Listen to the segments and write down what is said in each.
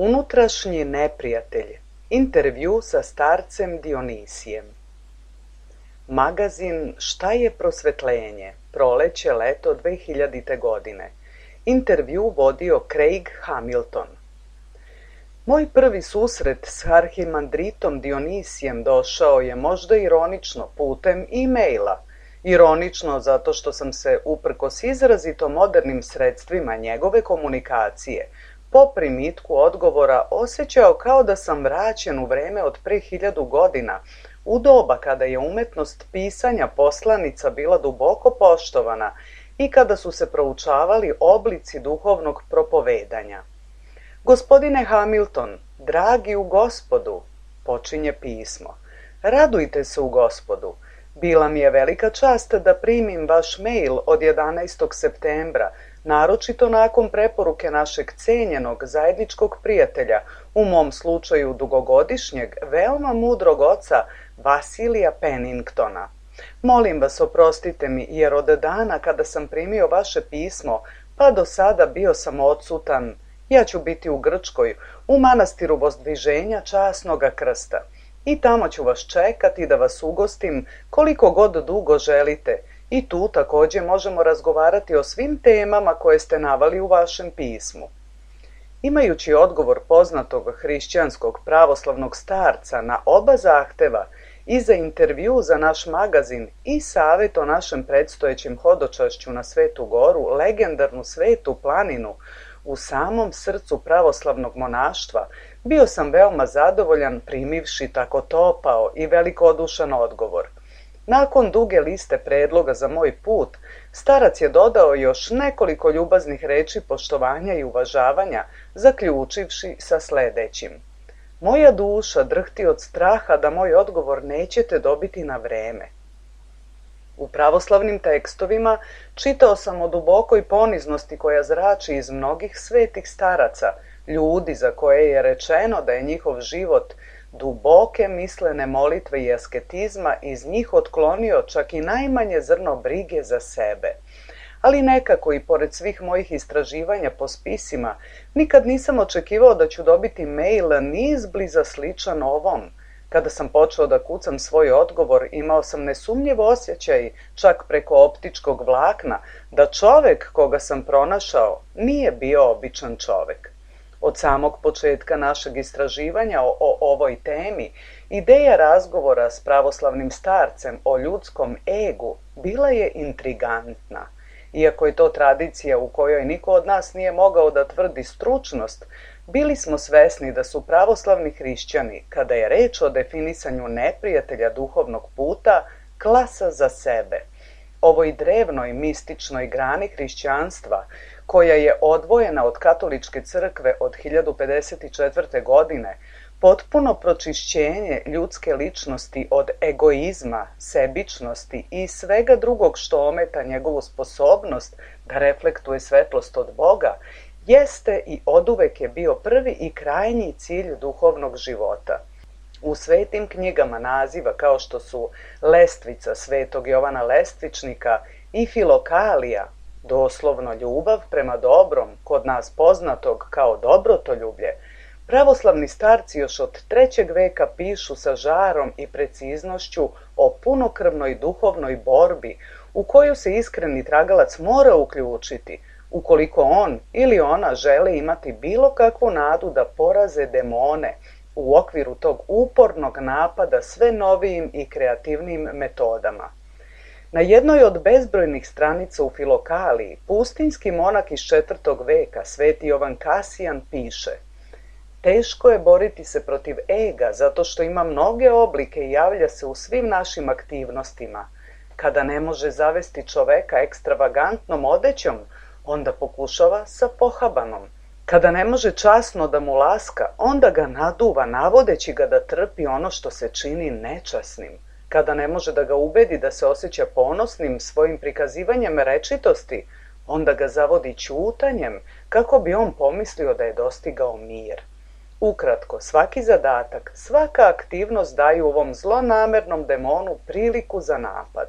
Unutrašnji neprijatelj. Intervju sa starcem Dionisijem. Magazin Šta je prosvetljenje? Proleće, leto 2000. godine. Intervju vodio Craig Hamilton. Moj prvi susret s arhimandritom Dionisijem došao je možda ironično putem e-maila. Ironično zato što sam se, uprkos izrazito modernim sredstvima njegove komunikacije, po primitku odgovora osjećao kao da sam vraćen u vreme od pre 1000 godina, u doba kada je umetnost pisanja poslanica bila duboko poštovana i kada su se proučavali oblici duhovnog propovedanja. Gospodine Hamilton, dragi u Gospodu, počinje pismo, radujte se u Gospodu. Bila mi je velika čast da primim vaš mail od 11. septembra, naročito nakon preporuke našeg cenjenog zajedničkog prijatelja, u mom slučaju dugogodišnjeg, veoma mudrog oca Vasilija Penningtona. Molim vas, oprostite mi, jer od dana kada sam primio vaše pismo, pa do sada bio sam odsutan. Ja ću biti u Grčkoj, u manastiru Vozdviženja Časnoga Krsta. I tamo ću vas čekati da vas ugostim koliko god dugo želite. I tu također možemo razgovarati o svim temama koje ste navali u vašem pismu. Imajući odgovor poznatog hrišćanskog pravoslavnog starca na oba zahteva i za intervju za naš magazin i savjet o našem predstojećem hodočašću na Svetu Goru, legendarnu Svetu planinu, u samom srcu pravoslavnog monaštva, bio sam veoma zadovoljan primivši tako topao i velikodušan odgovor. Nakon duge liste predloga za moj put, starac je dodao još nekoliko ljubaznih reči poštovanja i uvažavanja, zaključivši sa sledećim. Moja duša drhti od straha da moj odgovor nećete dobiti na vreme. U pravoslavnim tekstovima čitao sam o dubokoj poniznosti koja zrači iz mnogih svetih staraca, ljudi za koje je rečeno da je njihov život duboke mislene molitve i asketizma iz njih otklonio čak i najmanje zrno brige za sebe. Ali nekako i pored svih mojih istraživanja po spisima, nikad nisam očekivao da ću dobiti mail ni izbliza sličan ovom. Kada sam počeo da kucam svoj odgovor, imao sam nesumnjiv osjećaj, čak preko optičkog vlakna, da čovek koga sam pronašao nije bio običan čovek. Od samog početka našeg istraživanja o ovoj temi, ideja razgovora s pravoslavnim starcem o ljudskom egu bila je intrigantna. Iako je to tradicija u kojoj niko od nas nije mogao da tvrdi stručnost, bili smo svesni da su pravoslavni hrišćani, kada je reč o definisanju neprijatelja duhovnog puta, klasa za sebe. Ovoj drevnoj mističnoj grani hrišćanstva, koja je odvojena od katoličke crkve od 1054. godine, potpuno pročišćenje ljudske ličnosti od egoizma, sebičnosti i svega drugog što ometa njegovu sposobnost da reflektuje svetlost od Boga, jeste i oduvek je bio prvi i krajnji cilj duhovnog života. U svetim knjigama naziva kao što su Lestvica svetog Jovana Lestvičnika i Filokalija, doslovno ljubav prema dobrom, kod nas poznatog kao dobrotoljublje, pravoslavni starci još od 3. veka pišu sa žarom i preciznošću o punokrvnoj duhovnoj borbi u koju se iskreni tragalac mora uključiti, ukoliko on ili ona žele imati bilo kakvu nadu da poraze demone u okviru tog upornog napada sve novijim i kreativnijim metodama. Na jednoj od bezbrojnih stranica u Filokaliji, pustinski monak iz 4. veka, sveti Jovan Kasijan, piše: teško je boriti se protiv ega zato što ima mnoge oblike i javlja se u svim našim aktivnostima. Kada ne može zavesti čoveka ekstravagantnom odećom, onda pokušava sa pohabanom. Kada ne može časno da mu laska, onda ga naduva, navodeći ga da trpi ono što se čini nečasnim. Kada ne može da ga ubedi da se osjeća ponosnim svojim prikazivanjem rečitosti, onda ga zavodi ćutanjem kako bi on pomislio da je dostigao mir. Ukratko, svaki zadatak, svaka aktivnost daju ovom zlonamernom demonu priliku za napad.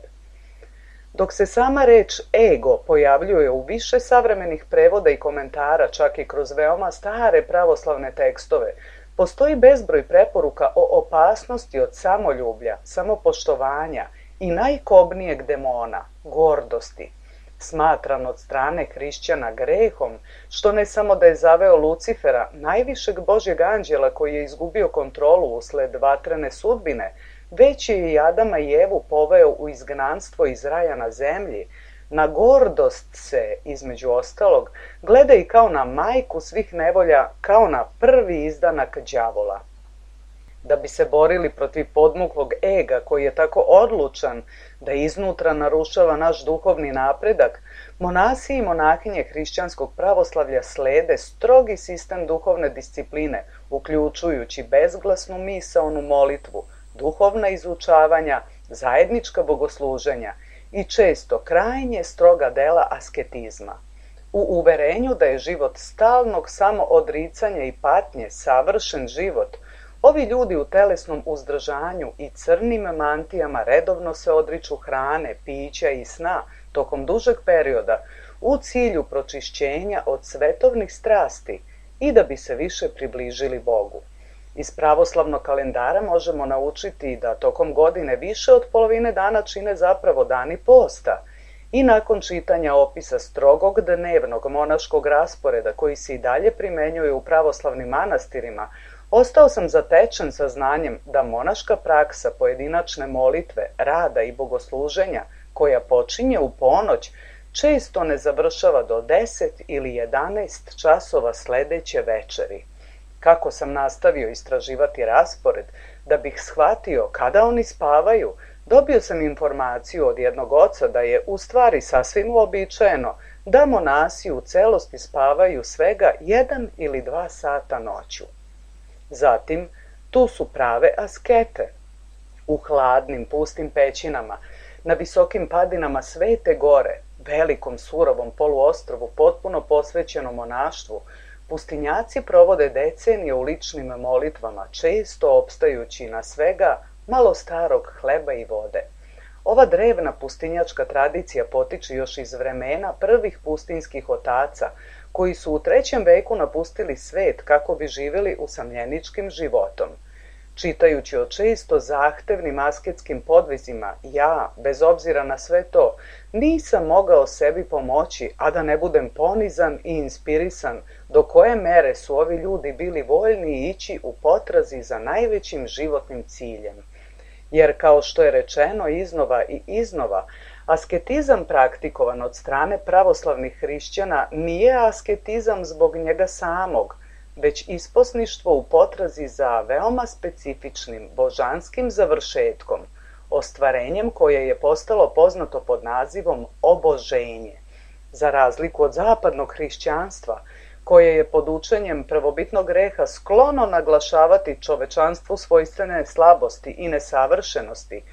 Dok se sama reč ego pojavljuje u više savremenih prevoda i komentara, čak i kroz veoma stare pravoslavne tekstove, postoji bezbroj preporuka o opasnosti od samoljublja, samopoštovanja i najkobnijeg demona, gordosti, smatran od strane hrišćana grehom, što ne samo da je zaveo Lucifera, najvišeg Božjeg anđela koji je izgubio kontrolu usled vatrene sudbine, već je i Adama i Evu poveo u izgnanstvo iz raja na zemlji. Na gordost se, između ostalog, gleda i kao na majku svih nevolja, kao na prvi izdanak đavola. Da bi se borili protiv podmuklog ega koji je tako odlučan da iznutra narušava naš duhovni napredak, monasi i monahinje hrišćanskog pravoslavlja slede strogi sistem duhovne discipline, uključujući bezglasnu misaonu molitvu, duhovna izučavanja, zajednička bogosluženja i često krajnje stroga dela asketizma. U uverenju da je život stalnog samoodricanja i patnje savršen život, ovi ljudi u telesnom uzdržanju i crnim mantijama redovno se odriču hrane, pića i sna tokom dužeg perioda u cilju pročišćenja od svetovnih strasti i da bi se više približili Bogu. Iz pravoslavnog kalendara možemo naučiti da tokom godine više od polovine dana čine zapravo dani posta i nakon čitanja opisa strogog dnevnog monaškog rasporeda koji se i dalje primenjuje u pravoslavnim manastirima, ostao sam zatečen saznanjem da monaška praksa pojedinačne molitve, rada i bogosluženja koja počinje u ponoć često ne završava do 10 ili 11 časova sledeće večeri. Kako sam nastavio istraživati raspored da bih shvatio kada oni spavaju, dobio sam informaciju od jednog oca da je u stvari sasvim uobičajeno da monasi u celosti spavaju svega 1 ili 2 sata noću. Zatim, tu su prave askete. U hladnim, pustim pećinama, na visokim padinama Svete Gore, velikom surovom poluostrvu potpuno posvećenom monaštvu, pustinjaci provode decenije u ličnim molitvama, često opstajući na svega malo starog hleba i vode. Ova drevna pustinjačka tradicija potiče još iz vremena prvih pustinjskih otaca, koji su u 3. veku napustili svet kako bi živjeli usamljeničkim životom. Čitajući o često zahtevnim asketskim podvizima, ja, bez obzira na sve to, nisam mogao sebi pomoći, a da ne budem ponizan i inspirisan do koje mere su ovi ljudi bili voljni ići u potrazi za najvećim životnim ciljem. Jer, kao što je rečeno iznova i iznova, asketizam praktikovan od strane pravoslavnih hrišćana nije asketizam zbog njega samog, već isposništvo u potrazi za veoma specifičnim božanskim završetkom, ostvarenjem koje je postalo poznato pod nazivom oboženje. Za razliku od zapadnog hrišćanstva, koje je pod učenjem prvobitnog greha sklono naglašavati čovečanstvu svojstvene slabosti i nesavršenosti,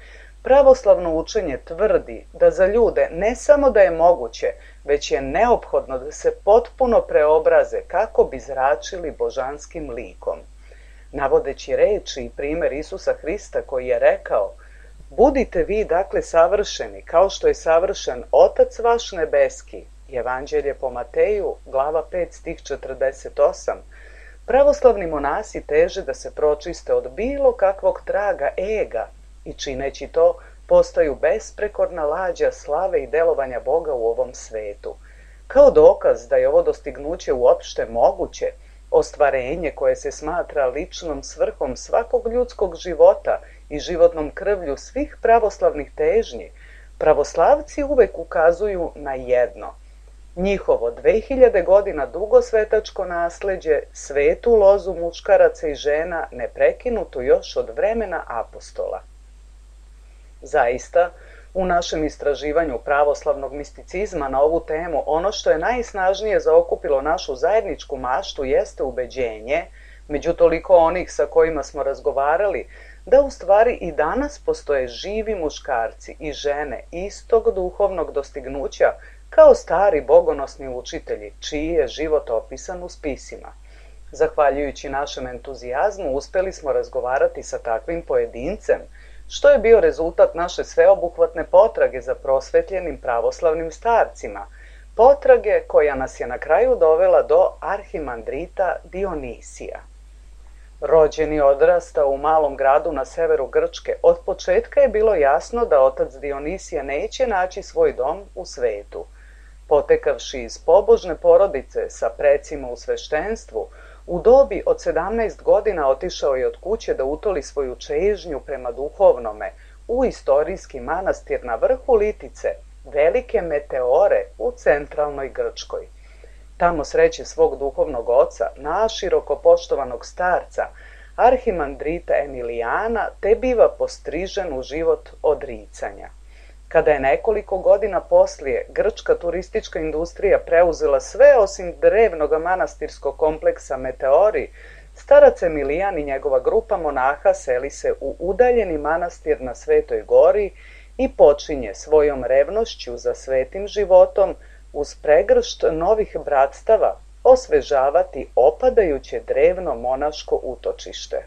pravoslavno učenje tvrdi da za ljude ne samo da je moguće, već je neophodno da se potpuno preobraze kako bi zračili božanskim likom. Navodeći reči i primer Isusa Hrista koji je rekao: "Budite vi dakle savršeni, kao što je savršen Otac vaš nebeski", Evanđelje po Mateju, glava 5, stih 48, pravoslavni monasi teže da se pročiste od bilo kakvog traga ega i čineći to postaju besprekorna lađa slave i delovanja Boga u ovom svetu. Kao dokaz da je ovo dostignuće uopšte moguće, ostvarenje koje se smatra ličnom svrhom svakog ljudskog života i životnom krvlju svih pravoslavnih težnji, pravoslavci uvek ukazuju na jedno: njihovo 2000 godina dugo svetačko nasleđe, svetu lozu muškaraca i žena, neprekinuto još od vremena apostola. Zaista, u našem istraživanju pravoslavnog misticizma na ovu temu, ono što je najsnažnije zaokupilo našu zajedničku maštu jeste ubeđenje, među toliko onih sa kojima smo razgovarali, da u stvari i danas postoje živi muškarci i žene istog duhovnog dostignuća kao stari bogonosni učitelji, čiji je život opisan u spisima. Zahvaljujući našem entuzijazmu uspeli smo razgovarati sa takvim pojedincem, što je bio rezultat naše sveobuhvatne potrage za prosvetljenim pravoslavnim starcima, potrage koja nas je na kraju dovela do arhimandrita Dionisija. Rođen i odrastao u malom gradu na severu Grčke, od početka je bilo jasno da otac Dionisija neće naći svoj dom u svetu. Potekavši iz pobožne porodice sa precima u sveštenstvu, u dobi od 17 godina otišao je od kuće da utoli svoju čežnju prema duhovnome u istorijski manastir na vrhu Litice, velike Meteore u centralnoj Grčkoj. Tamo sreće svog duhovnog oca, naširoko poštovanog starca, arhimandrita Emilijana, te biva postrižen u život odricanja. Kada je nekoliko godina poslije grčka turistička industrija preuzela sve osim drevnog manastirskog kompleksa Meteori, starac Emilijan i njegova grupa monaha seli se u udaljeni manastir na Svetoj gori i počinje svojom revnošću za svetim životom uz pregršt novih bratstava osvežavati opadajuće drevno monaško utočište.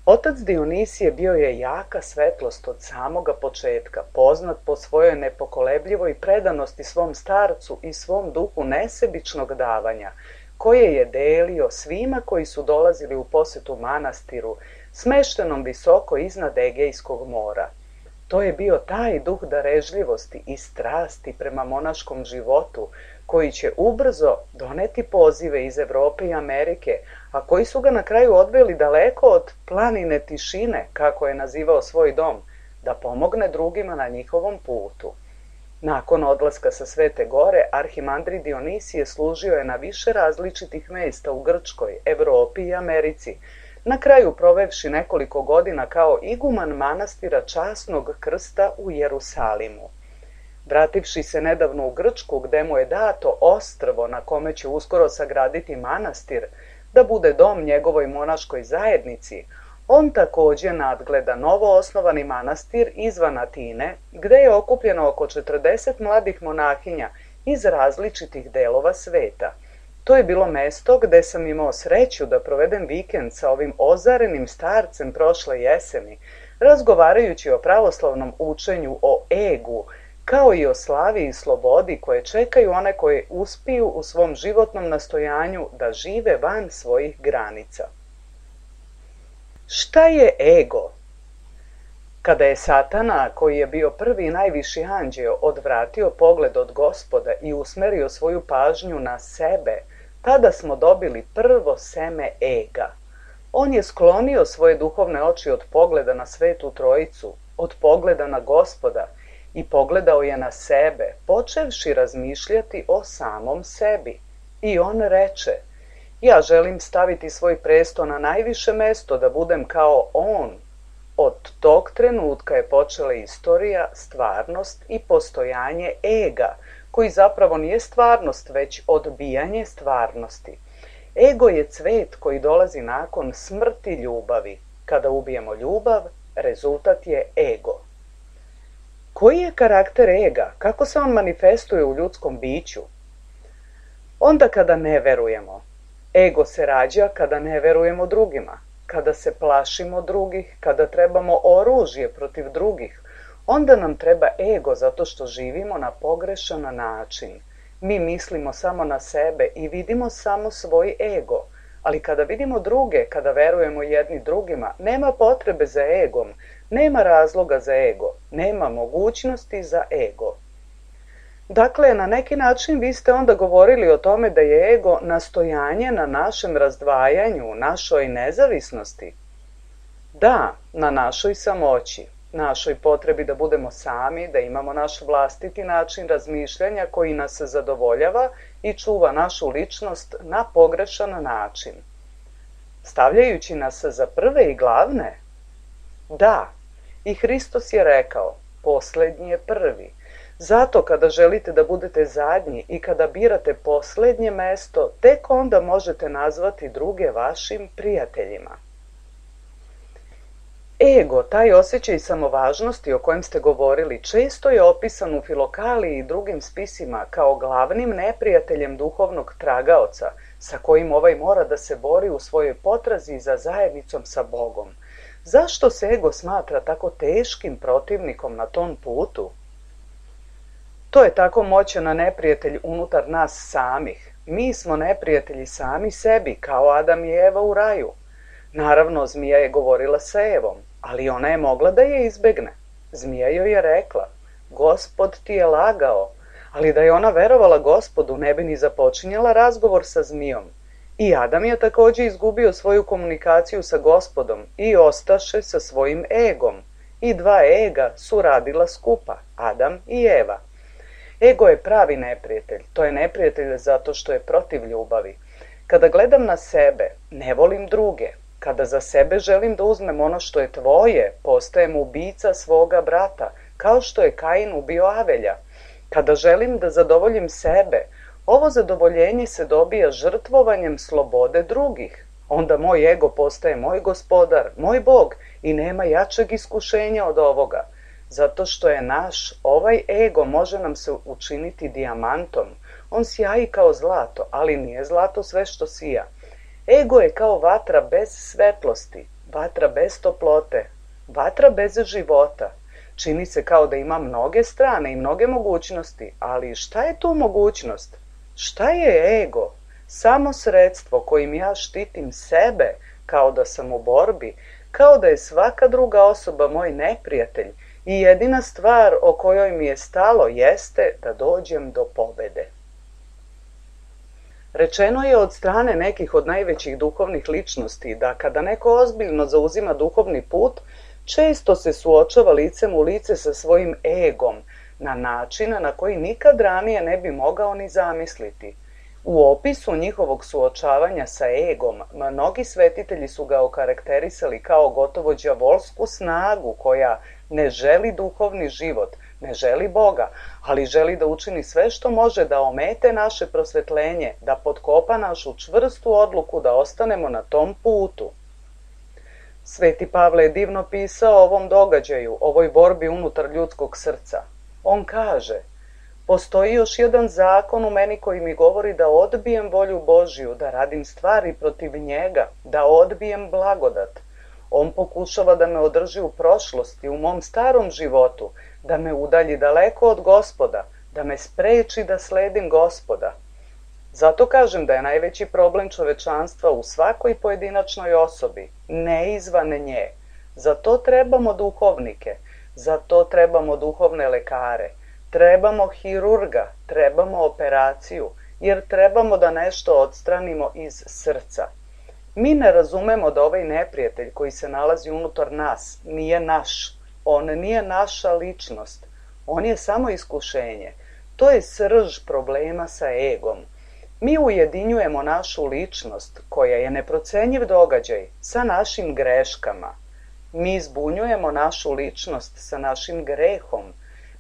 Otac Dionisije bio je jaka svetlost od samoga početka, poznat po svojoj nepokolebljivoj predanosti svom starcu i svom duhu nesebičnog davanja, koje je delio svima koji su dolazili u posetu manastiru, smeštenom visoko iznad Egejskog mora. To je bio taj duh darežljivosti i strasti prema monaškom životu, koji će ubrzo doneti pozive iz Evrope i Amerike, a koji su ga na kraju odveli daleko od planine tišine, kako je nazivao svoj dom, da pomogne drugima na njihovom putu. Nakon odlaska sa Svete gore, arhimandrit Dionisije služio je na više različitih mesta u Grčkoj, Evropi i Americi, na kraju provevši nekoliko godina kao iguman manastira Časnog krsta u Jerusalimu. Vrativši se nedavno u Grčku, gde mu je dato ostrvo na kome će uskoro sagraditi manastir, da bude dom njegovoj monaškoj zajednici, on takođe nadgleda novo osnovani manastir izvan Atine, gde je okupljeno oko 40 mladih monahinja iz različitih delova sveta. To je bilo mesto gde sam imao sreću da provedem vikend sa ovim ozarenim starcem prošle jeseni, razgovarajući o pravoslavnom učenju o egu, kao i o slavi i slobodi koje čekaju one koje uspiju u svom životnom nastojanju da žive van svojih granica. Šta je ego? Kada je Satana, koji je bio prvi i najviši anđeo, odvratio pogled od Gospoda i usmerio svoju pažnju na sebe, tada smo dobili prvo seme ega. On je sklonio svoje duhovne oči od pogleda na Svetu Trojicu, od pogleda na Gospoda, i pogledao je na sebe, počevši razmišljati o samom sebi. I on reče, ja želim staviti svoj presto na najviše mesto, da budem kao on. Od tog trenutka je počela istorija, stvarnost i postojanje ega, koji zapravo nije stvarnost, već odbijanje stvarnosti. Ego je cvet koji dolazi nakon smrti ljubavi. Kada ubijemo ljubav, rezultat je ego. Koji je karakter ega? Kako se on manifestuje u ljudskom biću? Onda kada ne verujemo. Ego se rađa kada ne verujemo drugima, kada se plašimo drugih, kada trebamo oružje protiv drugih. Onda nam treba ego zato što živimo na pogrešan način. Mi mislimo samo na sebe i vidimo samo svoj ego. Ali kada vidimo druge, kada verujemo jedni drugima, nema potrebe za egom, nema razloga za ego, nema mogućnosti za ego. Dakle, na neki način vi ste onda govorili o tome da je ego nastojanje na našem razdvajanju, našoj nezavisnosti. Da, na našoj samoći, našoj potrebi da budemo sami, da imamo naš vlastiti način razmišljanja koji nas zadovoljava i čuva našu ličnost na pogrešan način. Stavljajući nas za prve i glavne? Da, i Hristos je rekao, poslednji je prvi. Zato kada želite da budete zadnji i kada birate poslednje mesto, tek onda možete nazvati druge vašim prijateljima. Ego, taj osjećaj samovažnosti o kojem ste govorili, često je opisan u Filokaliji i drugim spisima kao glavnim neprijateljem duhovnog tragaoca, sa kojim ovaj mora da se bori u svojoj potrazi za zajednicom sa Bogom. Zašto se ego smatra tako teškim protivnikom na tom putu? To je tako moćan neprijatelj unutar nas samih. Mi smo neprijatelji sami sebi, kao Adam i Eva u raju. Naravno, zmija je govorila sa Evom, ali ona je mogla da je izbegne. Zmija joj je rekla, Gospod ti je lagao, ali da je ona verovala Gospodu, ne bi ni započinjala razgovor sa zmijom. I Adam je također izgubio svoju komunikaciju sa Gospodom i ostaše sa svojim egom. I dva ega su radila skupa, Adam i Eva. Ego je pravi neprijatelj. To je neprijatelj zato što je protiv ljubavi. Kada gledam na sebe, ne volim druge. Kada za sebe želim da uzmem ono što je tvoje, postajem ubica svoga brata, kao što je Kain ubio Avelja. Kada želim da zadovoljim sebe, ovo zadovoljenje se dobija žrtvovanjem slobode drugih. Onda moj ego postaje moj gospodar, moj Bog i nema jačeg iskušenja od ovoga. Zato što je naš, ovaj ego može nam se učiniti dijamantom. On sjaji kao zlato, ali nije zlato sve što sija. Ego je kao vatra bez svetlosti, vatra bez toplote, vatra bez života. Čini se kao da ima mnoge strane i mnoge mogućnosti, ali šta je tu mogućnost? Šta je ego? Samo sredstvo kojim ja štitim sebe, kao da sam u borbi, kao da je svaka druga osoba moj neprijatelj i jedina stvar o kojoj mi je stalo jeste da dođem do pobede. Rečeno je od strane nekih od najvećih duhovnih ličnosti da kada neko ozbiljno zauzima duhovni put, često se suočava licem u lice sa svojim egom, na način na koji nikad ranije ne bi mogao ni zamisliti. U opisu njihovog suočavanja sa egom, mnogi svetitelji su ga okarakterisali kao gotovo đavolsku snagu koja ne želi duhovni život, ne želi Boga, ali želi da učini sve što može da omete naše prosvetljenje, da potkopa našu čvrstu odluku da ostanemo na tom putu. Sveti Pavle je divno pisao o ovom događaju, ovoj borbi unutar ljudskog srca. On kaže, postoji još jedan zakon u meni koji mi govori da odbijem volju Božju, da radim stvari protiv njega, da odbijem blagodat. On pokušava da me održi u prošlosti, u mom starom životu, da me udalji daleko od Gospoda, da me spreči da sledim Gospoda. Zato kažem da je najveći problem čovečanstva u svakoj pojedinačnoj osobi, ne izvan nje. Za to trebamo duhovnike, za to trebamo duhovne lekare, trebamo hirurga, trebamo operaciju, jer trebamo da nešto odstranimo iz srca. Mi ne razumemo da ovaj neprijatelj koji se nalazi unutar nas nije naš. On nije naša ličnost. On je samo iskušenje. To je srž problema sa egom. Mi ujedinjujemo našu ličnost, koja je neprocenjiv događaj, sa našim greškama. Mi zbunjujemo našu ličnost sa našim grehom.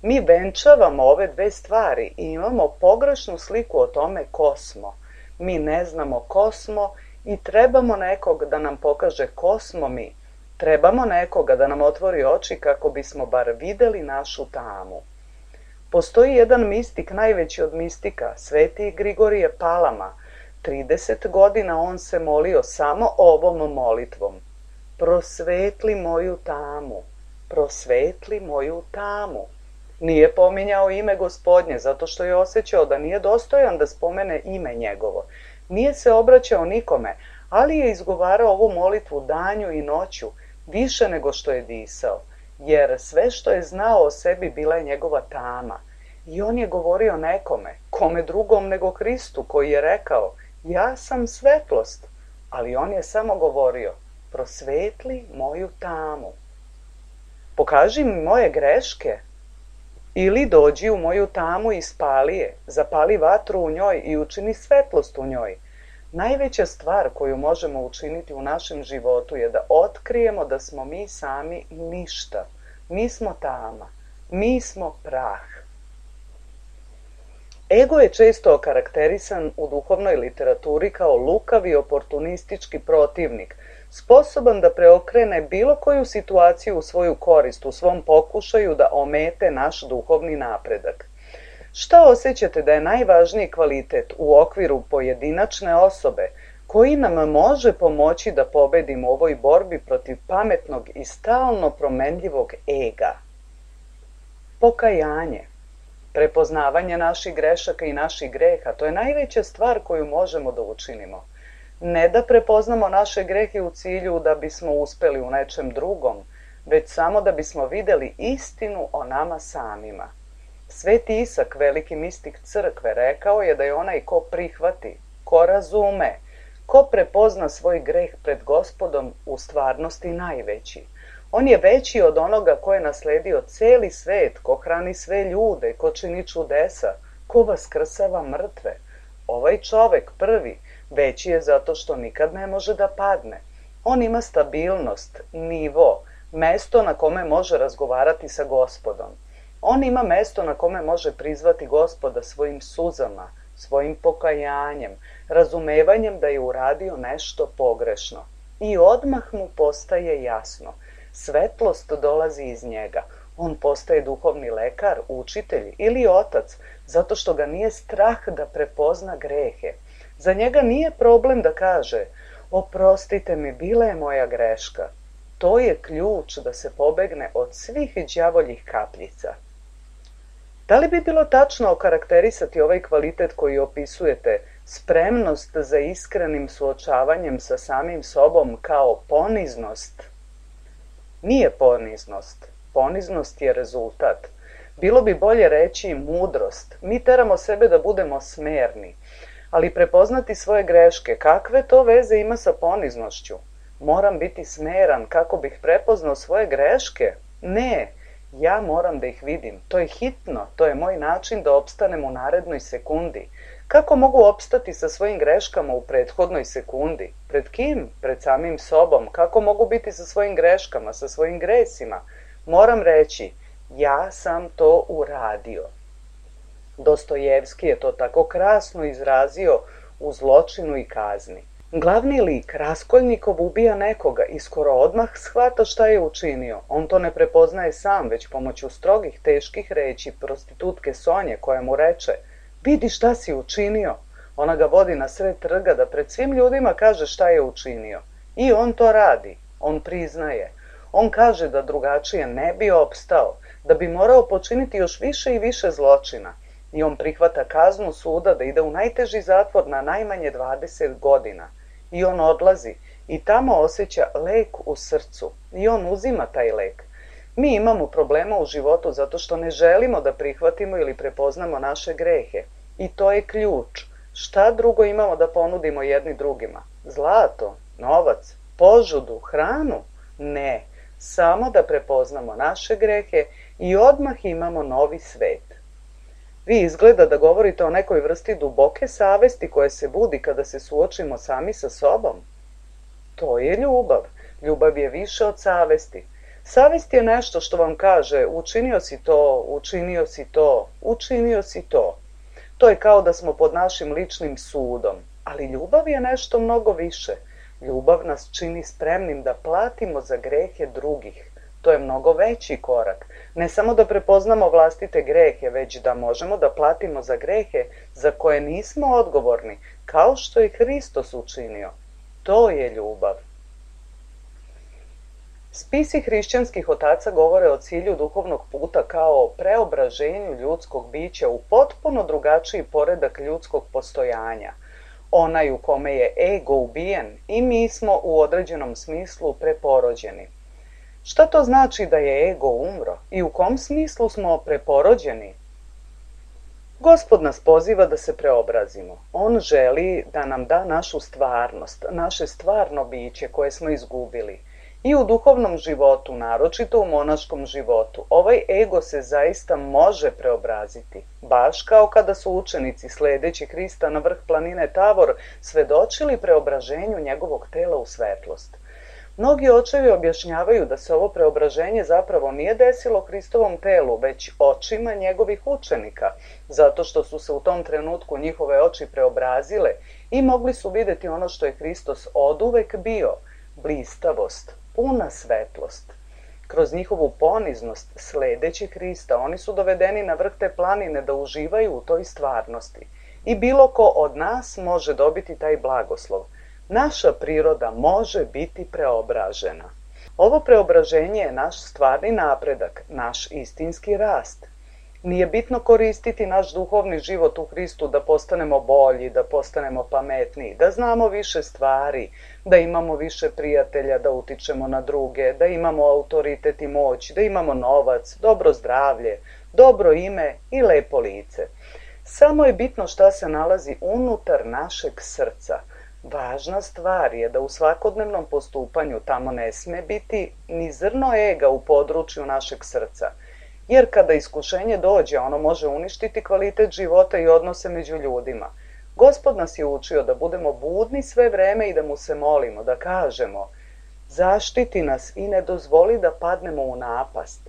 Mi venčavamo ove dve stvari i imamo pogrešnu sliku o tome ko smo. Mi ne znamo ko smo i trebamo nekog da nam pokaže ko smo mi. Trebamo nekoga da nam otvori oči kako bismo bar videli našu tamu. Postoji jedan mistik, najveći od mistika, sveti Grigorije Palama. 30 godina on se molio samo ovom molitvom. Prosvetli moju tamu, prosvetli moju tamu. Nije pominjao ime Gospodnje, zato što je osjećao da nije dostojan da spomene ime njegovo. Nije se obraćao nikome, ali je izgovarao ovu molitvu danju i noću, više nego što je disao, jer sve što je znao o sebi bila je njegova tama. I on je govorio nekome, kome drugom nego Hristu, koji je rekao, ja sam svetlost, ali on je samo govorio, prosvetli moju tamu. Pokaži mi moje greške, ili dođi u moju tamu i spali je, zapali vatru u njoj i učini svetlost u njoj. Najveća stvar koju možemo učiniti u našem životu je da otkrijemo da smo mi sami ništa. Mi smo tama, mi smo prah. Ego je često okarakterisan u duhovnoj literaturi kao lukavi oportunistički protivnik, sposoban da preokrene bilo koju situaciju u svoju korist, u svom pokušaju da omete naš duhovni napredak. Šta osjećate da je najvažniji kvalitet u okviru pojedinačne osobe koji nam može pomoći da pobedimo u ovoj borbi protiv pametnog i stalno promenljivog ega. Pokajanje, prepoznavanje naših grešaka i naših greha, to je najveća stvar koju možemo da učinimo. Ne da prepoznamo naše grehe u cilju da bismo uspeli u nečem drugom, već samo da bismo videli istinu o nama samima. Sveti Isak, veliki mistik crkve, rekao je da je onaj ko prihvati, ko razume, ko prepozna svoj greh pred Gospodom u stvarnosti najveći. On je veći od onoga ko je nasledio celi svet, ko hrani sve ljude, ko čini čudesa, ko vaskrsava mrtve. Ovaj čovek prvi veći je zato što nikad ne može da padne. On ima stabilnost, nivo, mesto na kome može razgovarati sa Gospodom. On ima mesto na kome može prizvati Gospoda svojim suzama, svojim pokajanjem, razumevanjem da je uradio nešto pogrešno. I odmah mu postaje jasno. Svetlost dolazi iz njega. On postaje duhovni lekar, učitelj ili otac, zato što ga nije strah da prepozna grehe. Za njega nije problem da kaže: oprostite mi, bila je moja greška. To je ključ da se pobegne od svih đavoljih kapljica. Da li bi bilo tačno okarakterisati ovaj kvalitet koji opisujete, spremnost za iskrenim suočavanjem sa samim sobom, kao poniznost? Nije poniznost. Poniznost je rezultat. Bilo bi bolje reći mudrost. Mi teramo sebe da budemo smerni. Ali prepoznati svoje greške, kakve to veze ima sa poniznošću? Moram biti smeran kako bih prepoznao svoje greške? Ne, ja moram da ih vidim. To je hitno, to je moj način da opstanem u narednoj sekundi. Kako mogu opstati sa svojim greškama u prethodnoj sekundi? Pred kim? Pred samim sobom. Kako mogu biti sa svojim greškama, sa svojim gresima? Moram reći, ja sam to uradio. Dostojevski je to tako krasno izrazio u Zločinu i kazni. Glavni lik, Raskolnikov, ubija nekoga i skoro odmah shvata šta je učinio. On to ne prepoznaje sam, već pomoću strogih, teških reči prostitutke Sonje, koja mu reče: vidi šta si učinio. Ona ga vodi na sred trga da pred svim ljudima kaže šta je učinio. I on to radi. On priznaje. On kaže da drugačije ne bi opstao, da bi morao počiniti još više i više zločina. I on prihvata kaznu suda da ide u najteži zatvor na najmanje 20 godina. I on odlazi i tamo osjeća lek u srcu. I on uzima taj lek. Mi imamo problema u životu zato što ne želimo da prihvatimo ili prepoznamo naše grehe. I to je ključ. Šta drugo imamo da ponudimo jedni drugima? Zlato, novac, požudu, hranu? Ne, samo da prepoznamo naše grehe i odmah imamo novi svet. Vi izgleda da govorite o nekoj vrsti duboke savesti koja se budi kada se suočimo sami sa sobom. To je ljubav. Ljubav je više od savesti. Savest je nešto što vam kaže: učinio si to, učinio si to, učinio si to. To je kao da smo pod našim ličnim sudom. Ali ljubav je nešto mnogo više. Ljubav nas čini spremnim da platimo za grehe drugih. To je mnogo veći korak. Ne samo da prepoznamo vlastite grehe, već da možemo da platimo za grehe za koje nismo odgovorni, kao što je Hristos učinio. To je ljubav. Spisi hrišćanskih otaca govore o cilju duhovnog puta kao preobraženju ljudskog bića u potpuno drugačiji poredak ljudskog postojanja. Onaj u kome je ego ubijen i mi smo u određenom smislu preporođeni. Šta to znači da je ego umro i u kom smislu smo preporođeni? Gospod nas poziva da se preobrazimo. On želi da nam da našu stvarnost, naše stvarno biće koje smo izgubili. I u duhovnom životu, naročito u monaškom životu, ovaj ego se zaista može preobraziti. Baš kao kada su učenici, sledeći Hrista na vrh planine Tavor, svedočili preobraženju njegovog tela u svetlost. Mnogi očevi objašnjavaju da se ovo preobraženje zapravo nije desilo Hristovom telu, već očima njegovih učenika, zato što su se u tom trenutku njihove oči preobrazile i mogli su videti ono što je Hristos oduvek bio, blistavost, puna svetlost. Kroz njihovu poniznost, sledeći Hrista, oni su dovedeni na vrh te planine da uživaju u toj stvarnosti. I bilo ko od nas može dobiti taj blagoslov. Naša priroda može biti preobražena. Ovo preobraženje je naš stvarni napredak, naš istinski rast. Nije bitno koristiti naš duhovni život u Hristu da postanemo bolji, da postanemo pametniji, da znamo više stvari, da imamo više prijatelja, da utičemo na druge, da imamo autoritet i moć, da imamo novac, dobro zdravlje, dobro ime i lepo lice. Samo je bitno šta se nalazi unutar našeg srca. Važna stvar je da u svakodnevnom postupanju tamo ne sme biti ni zrno ega u području našeg srca. Jer kada iskušenje dođe, ono može uništiti kvalitet života i odnose među ljudima. Gospod nas je učio da budemo budni sve vreme i da mu se molimo, da kažemo: zaštiti nas i ne dozvoli da padnemo u napast.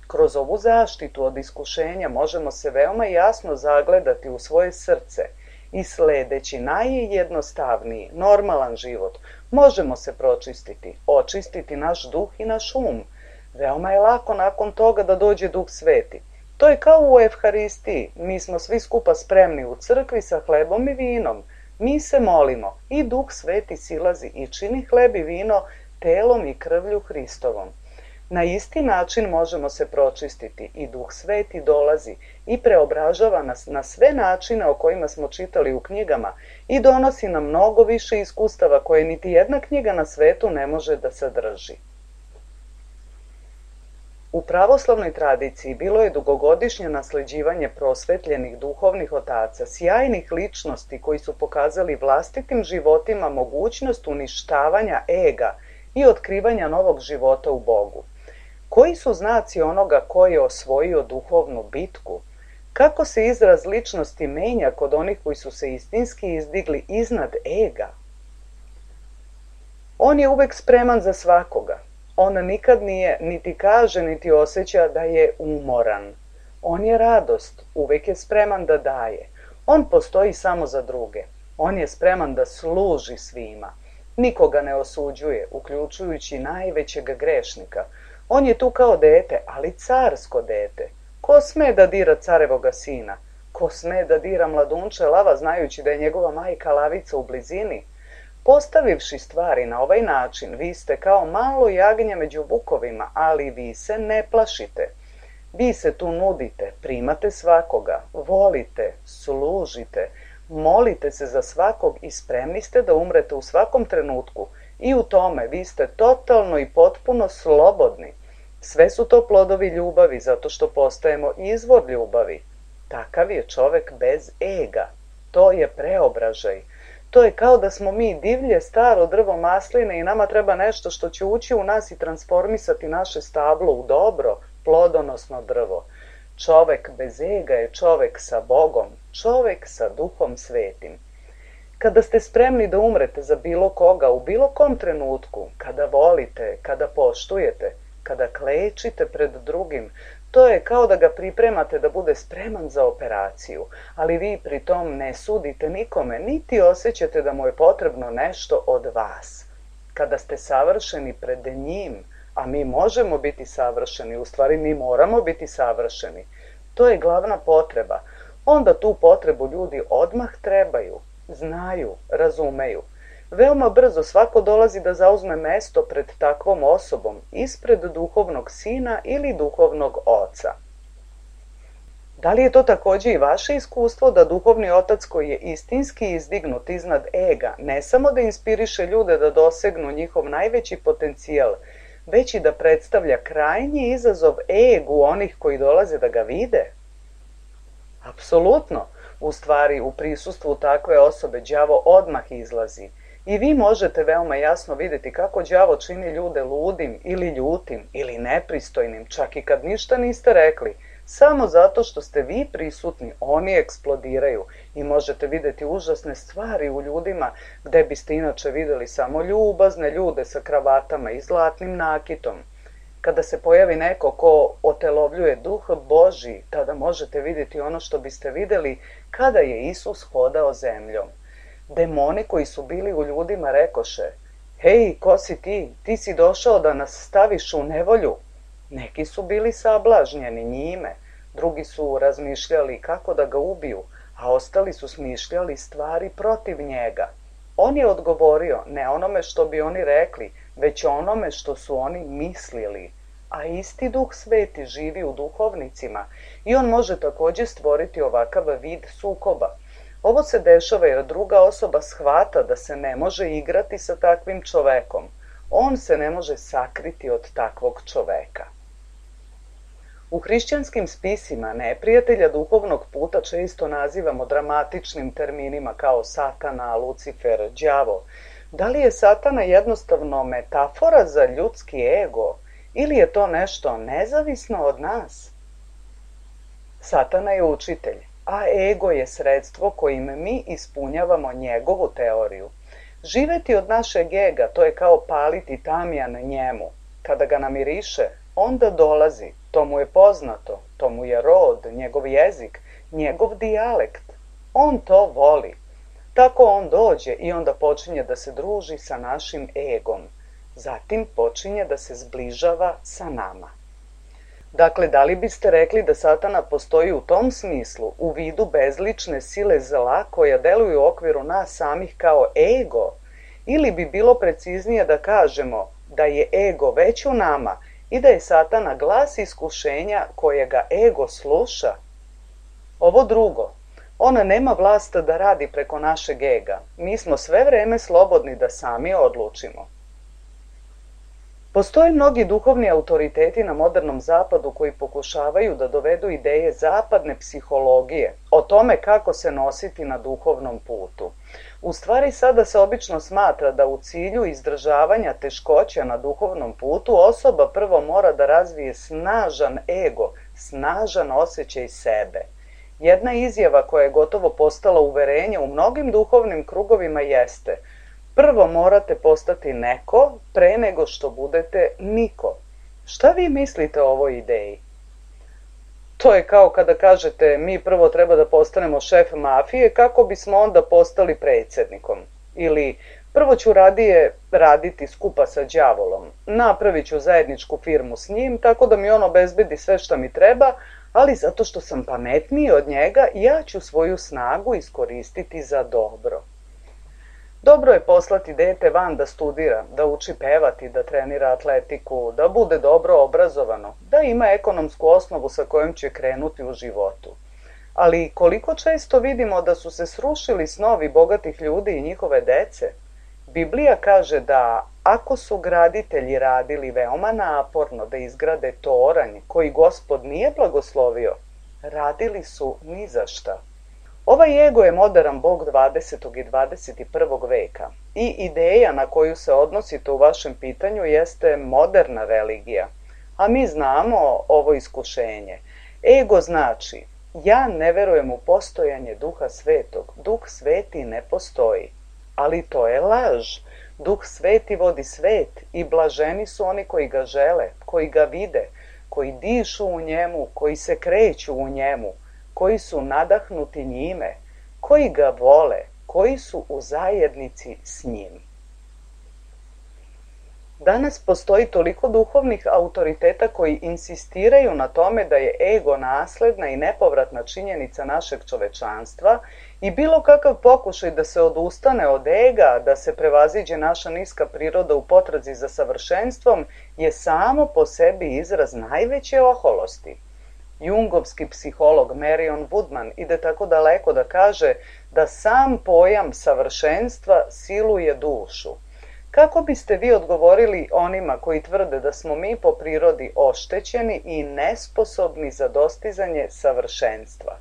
Kroz ovu zaštitu od iskušenja možemo se veoma jasno zagledati u svoje srce i sledeći najjednostavniji, normalan život, možemo se pročistiti, očistiti naš duh i naš um. Veoma je lako nakon toga da dođe Duh Sveti. To je kao u Evharistiji. Mi smo svi skupa spremni u crkvi sa hlebom i vinom. Mi se molimo i Duh Sveti silazi i čini hleb i vino telom i krvlju Hristovom. Na isti način možemo se pročistiti i Duh Sveti dolazi i preobražava nas na sve načine o kojima smo čitali u knjigama i donosi nam mnogo više iskustava koje niti jedna knjiga na svetu ne može da sadrži. U pravoslavnoj tradiciji bilo je dugogodišnje nasleđivanje prosvetljenih duhovnih otaca, sjajnih ličnosti koji su pokazali vlastitim životima mogućnost uništavanja ega i otkrivanja novog života u Bogu. Koji su znaci onoga ko je osvojio duhovnu bitku? Kako se izraz ličnosti menja kod onih koji su se istinski izdigli iznad ega? On je uvek spreman za svakoga. On nikad nije, niti kaže, niti osjeća da je umoran. On je radost, uvek je spreman da daje. On postoji samo za druge. On je spreman da služi svima. Nikoga ne osuđuje, uključujući najvećeg grešnika. On je tu kao dete, ali carsko dete. Ko sme da dira carevoga sina? Ko sme da dira mladunče lava, znajući da je njegova majka lavica u blizini? Postavivši stvari na ovaj način, vi ste kao malo jagnje među vukovima, ali vi se ne plašite. Vi se tu nudite, primate svakoga, volite, služite, molite se za svakog i spremni ste da umrete u svakom trenutku. I u tome vi ste totalno i potpuno slobodni. Sve su to plodovi ljubavi, zato što postajemo izvor ljubavi. Takav je čovek bez ega. To je preobražaj. To je kao da smo mi divlje staro drvo masline i nama treba nešto što će ući u nas i transformisati naše stablo u dobro, plodonosno drvo. Čovek bez ega je čovek sa Bogom, čovek sa Duhom Svetim. Kada ste spremni da umrete za bilo koga u bilo kom trenutku, kada volite, kada poštujete, kada klečite pred drugim, to je kao da ga pripremate da bude spreman za operaciju, ali vi pri tom ne sudite nikome, niti osjećate da mu je potrebno nešto od vas. Kada ste savršeni pred njim, a mi možemo biti savršeni, u stvari mi moramo biti savršeni, to je glavna potreba, onda tu potrebu ljudi odmah trebaju, znaju, razumeju. Veoma brzo svako dolazi da zauzme mesto pred takvom osobom, ispred duhovnog sina ili duhovnog oca. Da li je to takođe i vaše iskustvo da duhovni otac koji je istinski izdignut iznad ega ne samo da inspiriše ljude da dosegnu njihov najveći potencijal, već i da predstavlja krajnji izazov egu onih koji dolaze da ga vide? Apsolutno. U stvari, u prisustvu takve osobe đavo odmah izlazi. I vi možete veoma jasno vidjeti kako đavo čini ljude ludim ili ljutim ili nepristojnim, čak i kad ništa niste rekli. Samo zato što ste vi prisutni, oni eksplodiraju i možete vidjeti užasne stvari u ljudima gde biste inače videli samo ljubazne ljude sa kravatama i zlatnim nakitom. Kada se pojavi neko ko otelovljuje duh Božji, tada možete vidjeti ono što biste videli kada je Isus hodao zemljom. Demoni koji su bili u ljudima rekoše: hej, ko si ti? Ti si došao da nas staviš u nevolju. Neki su bili sablažnjeni njime, drugi su razmišljali kako da ga ubiju, a ostali su smišljali stvari protiv njega. On je odgovorio ne onome što bi oni rekli, već onome što su oni mislili. A isti Duh Sveti živi u duhovnicima i on može također stvoriti ovakav vid sukoba. Ovo se dešava jer druga osoba shvata da se ne može igrati sa takvim čovekom. On se ne može sakriti od takvog čoveka. U hrišćanskim spisima neprijatelja duhovnog puta često nazivamo dramatičnim terminima kao Satana, Lucifer, đavo. Da li je Satana jednostavno metafora za ljudski ego ili je to nešto nezavisno od nas? Satana je učitelj, a ego je sredstvo kojim mi ispunjavamo njegovu teoriju. Živeti od našeg ega, to je kao paliti tamjan njemu. Kada ga namiriše, onda dolazi, to mu je poznato, to mu je rod, njegov jezik, njegov dijalekt. On to voli. Tako on dođe i onda počinje da se druži sa našim egom. Zatim počinje da se zbližava sa nama. Dakle, da li biste rekli da Satana postoji u tom smislu, u vidu bezlične sile zla koja deluju u okviru nas samih kao ego? Ili bi bilo preciznije da kažemo da je ego već u nama i da je Satana glas iskušenja kojega ego sluša? Ovo drugo, ona nema vlast da radi preko našeg ega. Mi smo sve vreme slobodni da sami odlučimo. Postoje mnogi duhovni autoriteti na modernom zapadu koji pokušavaju da dovedu ideje zapadne psihologije o tome kako se nositi na duhovnom putu. U stvari sada se obično smatra da u cilju izdržavanja teškoća na duhovnom putu osoba prvo mora da razvije snažan ego, snažan osjećaj sebe. Jedna izjava koja je gotovo postala uverenje u mnogim duhovnim krugovima jeste: prvo morate postati neko pre nego što budete niko. Šta vi mislite o ovoj ideji? To je kao kada kažete mi prvo treba da postanemo šef mafije kako bismo onda postali predsjednikom. Ili prvo ću radije raditi skupa sa đavolom. Napravit ću zajedničku firmu s njim tako da mi on obezbedi sve što mi treba, ali zato što sam pametniji od njega ja ću svoju snagu iskoristiti za dobro. Dobro je poslati dete van da studira, da uči pevati, da trenira atletiku, da bude dobro obrazovano, da ima ekonomsku osnovu sa kojom će krenuti u životu. Ali koliko često vidimo da su se srušili snovi bogatih ljudi i njihove dece? Biblija kaže da ako su graditelji radili veoma naporno da izgrade toranj koji Gospod nije blagoslovio, radili su ni za šta. Ovaj ego je moderan bog 20. i 21. veka i ideja na koju se odnosite u vašem pitanju jeste moderna religija. A mi znamo ovo iskušenje. Ego znači, ja ne verujem u postojanje Duha Svetog. Duh Sveti ne postoji. Ali to je laž. Duh Sveti vodi svet i blaženi su oni koji ga žele, koji ga vide, koji dišu u njemu, koji se kreću u njemu, koji su nadahnuti njime, koji ga vole, koji su u zajednici s njim. Danas postoji toliko duhovnih autoriteta koji insistiraju na tome da je ego nasledna i nepovratna činjenica našeg čovečanstva i bilo kakav pokušaj da se odustane od ega, da se prevaziđe naša niska priroda u potrazi za savršenstvom je samo po sebi izraz najveće oholosti. Jungovski psiholog Marion Woodman ide tako daleko da kaže da sam pojam savršenstva siluje dušu. Kako biste vi odgovorili onima koji tvrde da smo mi po prirodi oštećeni i nesposobni za dostizanje savršenstva?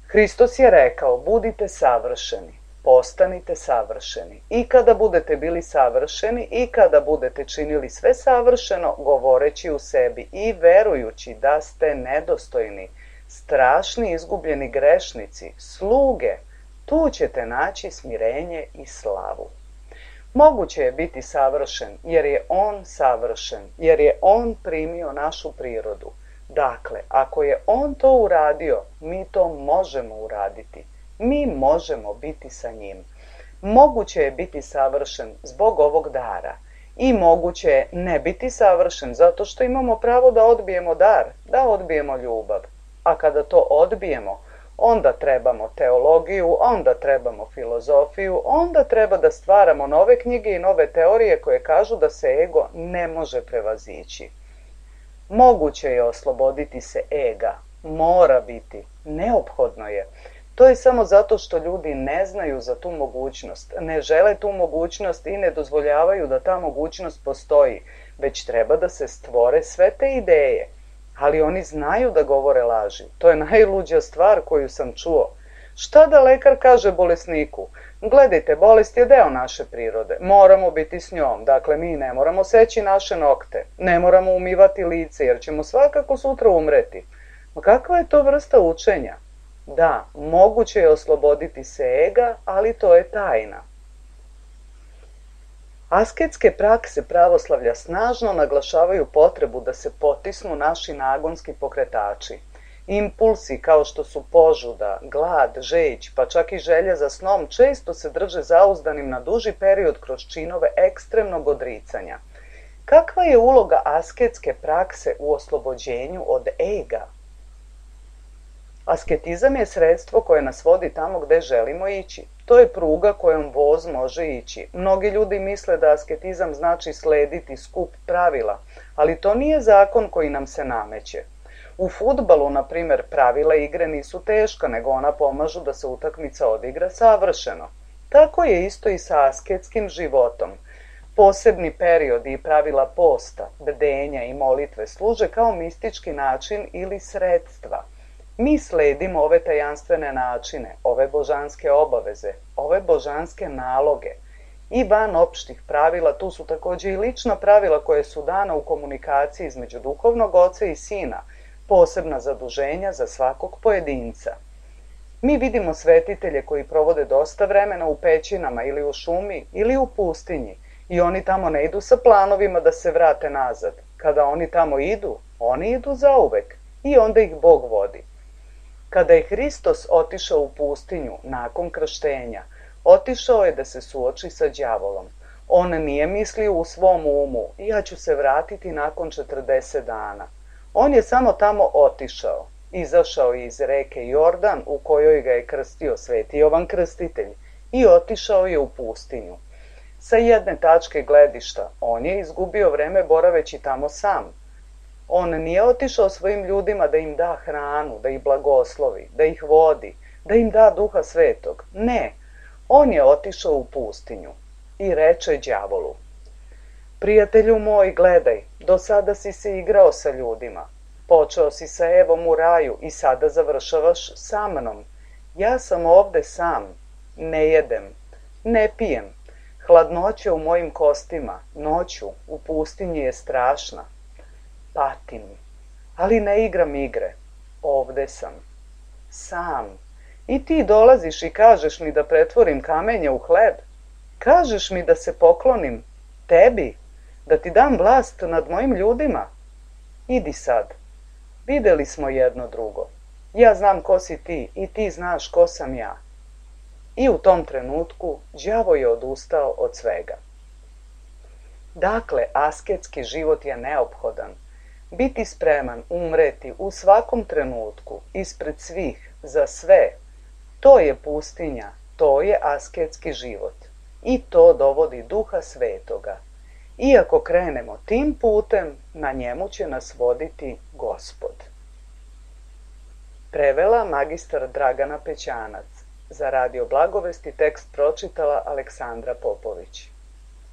Hristos je rekao, budite savršeni, postanite savršeni. I kada budete bili savršeni i kada budete činili sve savršeno, govoreći u sebi i verujući da ste nedostojni, strašni izgubljeni grešnici, sluge, tu ćete naći smirenje i slavu. Moguće je biti savršen jer je on savršen, jer je on primio našu prirodu. Dakle, ako je on to uradio, mi to možemo uraditi. Mi možemo biti sa njim. Moguće je biti savršen zbog ovog dara i moguće je ne biti savršen zato što imamo pravo da odbijemo dar, da odbijemo ljubav. A kada to odbijemo, onda trebamo teologiju, onda trebamo filozofiju, onda treba da stvaramo nove knjige i nove teorije koje kažu da se ego ne može prevazići. Moguće je osloboditi se ega, mora biti, neophodno je. To je samo zato što ljudi ne znaju za tu mogućnost, ne žele tu mogućnost i ne dozvoljavaju da ta mogućnost postoji, već treba da se stvore sve te ideje. Ali oni znaju da govore laži. To je najluđa stvar koju sam čuo. Šta da lekar kaže bolesniku? Gledajte, bolest je deo naše prirode. Moramo biti s njom. Dakle, mi ne moramo seći naše nokte. Ne moramo umivati lice, jer ćemo svakako sutra umreti. Ma kakva je to vrsta učenja? Da, moguće je osloboditi se ega, ali to je tajna. Asketske prakse pravoslavlja snažno naglašavaju potrebu da se potisnu naši nagonski pokretači. Impulsi kao što su požuda, glad, žeć, pa čak i želja za snom često se drže zauzdanim na duži period kroz činove ekstremnog odricanja. Kakva je uloga asketske prakse u oslobođenju od ega? Asketizam je sredstvo koje nas vodi tamo gde želimo ići. To je pruga kojom voz može ići. Mnogi ljudi misle da asketizam znači slediti skup pravila, ali to nije zakon koji nam se nameće. U fudbalu, na primer, pravila igre nisu teška, nego ona pomažu da se utakmica odigra savršeno. Tako je isto i sa asketskim životom. Posebni periodi i pravila posta, bdenja i molitve služe kao mistički način ili sredstva. Mi sledimo ove tajanstvene načine, ove božanske obaveze, ove božanske naloge. I van opštih pravila, tu su takođe i lična pravila koje su dana u komunikaciji između duhovnog oca i sina, posebna zaduženja za svakog pojedinca. Mi vidimo svetitelje koji provode dosta vremena u pećinama ili u šumi ili u pustinji i oni tamo ne idu sa planovima da se vrate nazad. Kada oni tamo idu, oni idu zauvek i onda ih Bog vodi. Kada je Hristos otišao u pustinju nakon krštenja, otišao je da se suoči sa đavolom. On nije mislio u svom umu, ja ću se vratiti nakon 40 dana. On je samo tamo otišao, izašao iz reke Jordan u kojoj ga je krstio Sveti Jovan Krstitelj i otišao je u pustinju. Sa jedne tačke gledišta, on je izgubio vreme boraveći tamo sam. On nije otišao svojim ljudima da im da hranu, da ih blagoslovi, da ih vodi, da im da Duha Svetog. Ne, on je otišao u pustinju i reče đavolu: prijatelju moj, gledaj, do sada si se igrao sa ljudima. Počeo si sa Evom u raju i sada završavaš sa mnom. Ja sam ovde sam, ne jedem, ne pijem. Hladnoća u mojim kostima, noću, u pustinji je strašna. Patim, ali ne igram igre. Ovde sam, sam. I ti dolaziš i kažeš mi da pretvorim kamenje u hleb. Kažeš mi da se poklonim tebi, da ti dam vlast nad mojim ljudima. Idi sad. Videli smo jedno drugo. Ja znam ko si ti i ti znaš ko sam ja. I u tom trenutku đavo je odustao od svega. Dakle, asketski život je neophodan. Biti spreman umreti u svakom trenutku, ispred svih, za sve, to je pustinja, to je asketski život. I to dovodi Duha Svetoga. Iako krenemo tim putem, na njemu će nas voditi Gospod. Prevela magistar Dragana Pećanac. Za Radio Blagovesti tekst pročitala Aleksandra Popović.